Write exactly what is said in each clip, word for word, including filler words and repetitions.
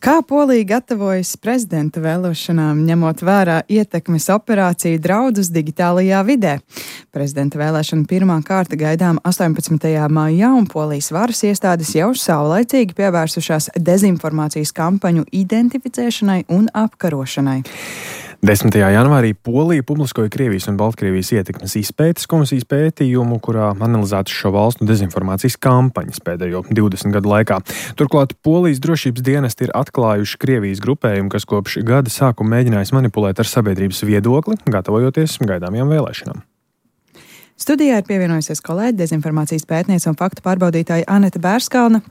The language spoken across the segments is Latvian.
Kā Polija gatavojas prezidenta vēlēšanām, ņemot vērā ietekmes operāciju draudus digitālajā vidē? Prezidenta vēlēšana pirmā kārta gaidām astoņpadsmitajā maijā, un Polijas varas iestādes jau saulaicīgi pievērsušās dezinformācijas kampaņu identificēšanai un apkarošanai. desmitajā janvārī Polija publiskoja Krievijas un Baltkrievijas ietekmes izpētes komisijas pētījumu, kurā analizētas šo valstu dezinformācijas kampaņas pēdējo divdesmit gadu laikā. Turklāt Polijas drošības dienesti ir atklājuši Krievijas grupējumu, kas kopš gada sākuma mēģinājis manipulēt ar sabiedrības viedokli, gatavojoties gaidāmajām vēlēšanām. Studijā ir pievienojusies kolēģi, dezinformācijas pētniece un faktu pārbaudītāja Aneta Bērskalna,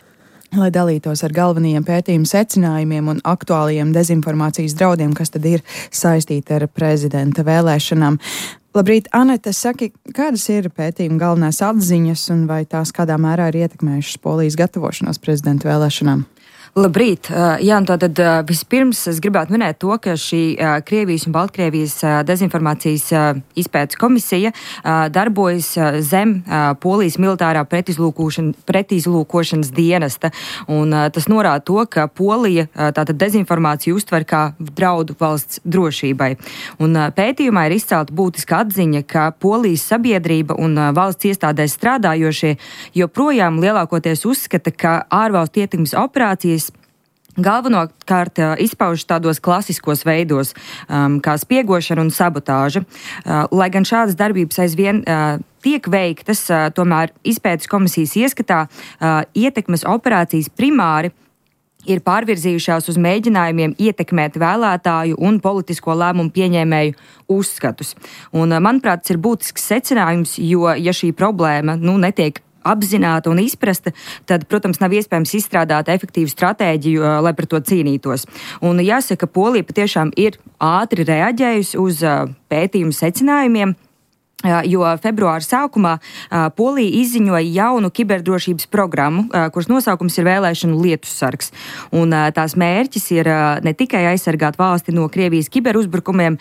lai dalītos ar galvenajiem pētījumu secinājumiem un aktuālajiem dezinformācijas draudiem, kas tad ir saistīti ar prezidenta vēlēšanām. Labrīt, Aneta, saki, kādas ir pētījuma galvenās atziņas un vai tās kādā mērā ir ietekmējušas Polijas gatavošanos prezidenta vēlēšanām? Labrīt! Jā, un tātad vispirms es gribētu minēt to, ka šī Krievijas un Baltkrievijas dezinformācijas izpētes komisija darbojas zem Polijas militārā pretizlūkošana, pretizlūkošanas dienesta. Un tas norāda to, ka Polija tātad dezinformāciju uztver kā draudu valsts drošībai. Un pētījumā ir izcelta būtiska atziņa, ka Polijas sabiedrība un valsts iestādēs strādājošie joprojām lielākoties uzskata, ka ārvalstu ietekmes operācijas galvenokārt izpaužas tādos klasiskos veidos, um, kā spiegošana un sabotāža. Uh, lai gan šādas darbības aizvien uh, tiek veiktas, uh, tomēr izpētes komisijas ieskatā uh, ietekmes operācijas primāri ir pārvirzījušās uz mēģinājumiem ietekmēt vēlētāju un politisko lēmumu pieņēmēju uzskatus. Un, uh, manuprāt, tas ir būtisks secinājums, jo, ja šī problēma nu, netiek apzināta un izprasta, tad, protams, nav iespējams izstrādāt efektīvu stratēģiju, lai par to cīnītos. Un jāsaka, Polija patiešām ir ātri reaģējusi uz pētījumu secinājumiem, jo februāra sākumā Polija izziņoja jaunu kiberdrošības programmu, kuras nosaukums ir vēlēšanu lietussargs. Un tās mērķis ir ne tikai aizsargāt valsti no Krievijas kiberuzbrukumiem,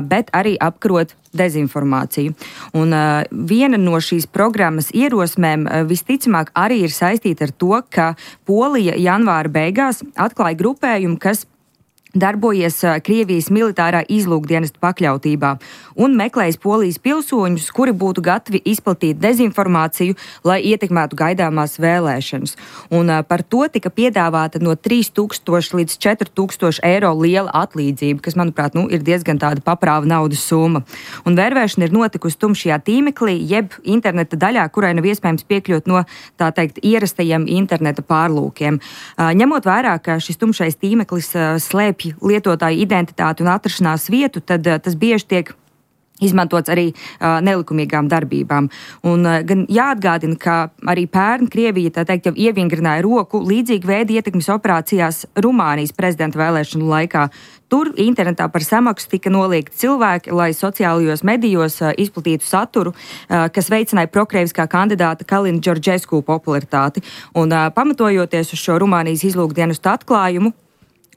bet arī apkarot dezinformāciju. Un uh, viena no šīs programmas ierosmēm uh, visticamāk arī ir saistīta ar to, ka Polija janvāra beigās atklāja grupējumu, kas darbojies Krievijas militārā izlūkdienesta pakļautībā un meklējas Polijas pilsoņus, kuri būtu gatavi izplatīt dezinformāciju, lai ietekmētu gaidāmās vēlēšanas. Un par to tika piedāvāta no trīs tūkstoši līdz četri tūkstoši eiro liela atlīdzība, kas, manuprāt, nu, ir diezgan tāda paprāva naudas summa. Un vērvēšana ir notikusi tumšajā tīmeklī, jeb interneta daļā, kurai nav iespējams piekļūt no, tā teikt, ierastajiem interneta pārlūkiem. Ņemot vērā, ka šis tumšais tīmeklis slēpj lietotāju identitāti un atrašanās vietu, tad uh, tas bieži tiek izmantots arī uh, nelikumīgām darbībām. Un uh, gan jāatgādina, ka arī pērn Krievija, tā teikt, jau ievingrināja roku līdzīgi veidi ietekmes operācijās Rumānijas prezidenta vēlēšanu laikā. Tur internetā par samaksu tika noliegti cilvēki, lai sociālajos medijos uh, izplatītu saturu, uh, kas veicināja prokrieviskā kandidāta Kalina Džordžesku popularitāti. Un uh, pamatojoties uz šo Rumānijas izlūkdienestu atklājumu,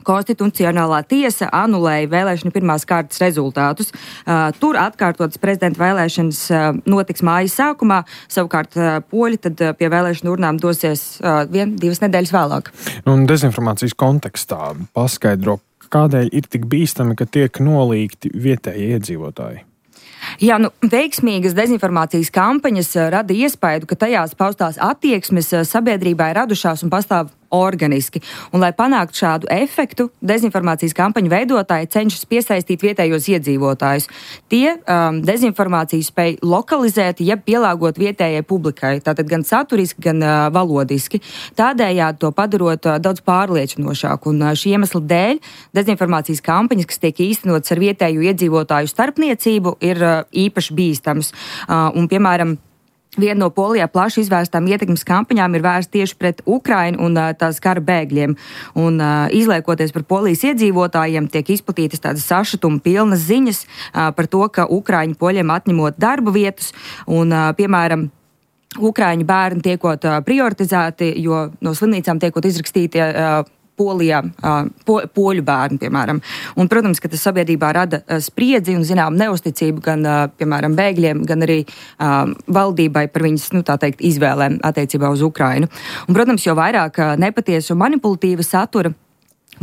Konstitucionālā tiesa anulēja vēlēšanu pirmās kārtas rezultātus. Uh, tur atkārtotas prezidenta vēlēšanas uh, notiks mājas sākumā, savukārt uh, poļi tad uh, pie vēlēšanu urnām dosies uh, vien divas nedēļas vēlāk. Un dezinformācijas kontekstā paskaidro, kādēļ ir tik bīstami, ka tiek nolīgti vietējie iedzīvotāji? Jā, nu, veiksmīgas dezinformācijas kampaņas rada iespēju, ka tajās paustās attieksmes sabiedrībā ir radušās un pastāv organiski. Un, lai panāktu šādu efektu, dezinformācijas kampaņu veidotāji cenšas piesaistīt vietējos iedzīvotājus. Tie um, dezinformāciju spēj lokalizēt, jeb pielāgot vietējai publikai, tātad gan saturiski, gan uh, valodiski. Tādējādi to padarot uh, daudz pārliecinošāku. Un uh, šī iemesla dēļ dezinformācijas kampaņas, kas tiek īstenotas ar vietēju iedzīvotāju starpniecību, ir uh, īpaši bīstams. Uh, un, piemēram, Viena no Polijā plaši izvērstām ietekmes kampaņām ir vērsta tieši pret Ukrainu un uh, tās kara bēgļiem. Un, uh, izliekoties par Polijas iedzīvotājiem, tiek izplatītas tādas sašutuma pilnas ziņas uh, par to, ka Ukraiņu poļiem atņemot darba vietas un, uh, piemēram, Ukraiņu bērni tiekot uh, prioritizēti, jo no slimnīcām tiekot izrakstīti uh, Polijā, po, poļu bērni, piemēram. Un, protams, ka tas sabiedrībā rada spriedzi un, zinām, neusticību gan, piemēram, bēgļiem, gan arī um, valdībai par viņas, nu, tā teikt, izvēlēm attiecībā uz Ukrainu. Un, protams, jo vairāk nepatiesu un manipulatīva satura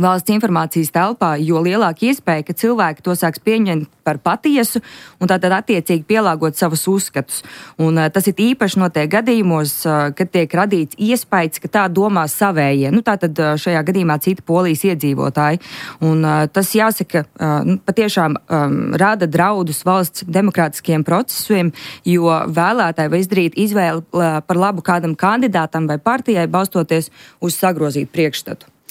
valsts informācijas telpā, jo lielāka iespēja, ka cilvēki to sāks pieņemt par patiesu un tātad attiecīgi pielāgot savus uzskatus. Un uh, tas ir īpaši notiek gadījumos, uh, kad tiek radīts iespējas, ka tā domā savējie. Nu, tātad uh, šajā gadījumā citi Polijas iedzīvotāji. Un uh, tas jāsaka, uh, nu, patiešām um, rada draudus valsts demokrātiskiem procesiem, jo vēlētāji var izdarīt izvēli uh, par labu kādam kandidātam vai partijai, balstoties uz sagrozītu priekšstatu.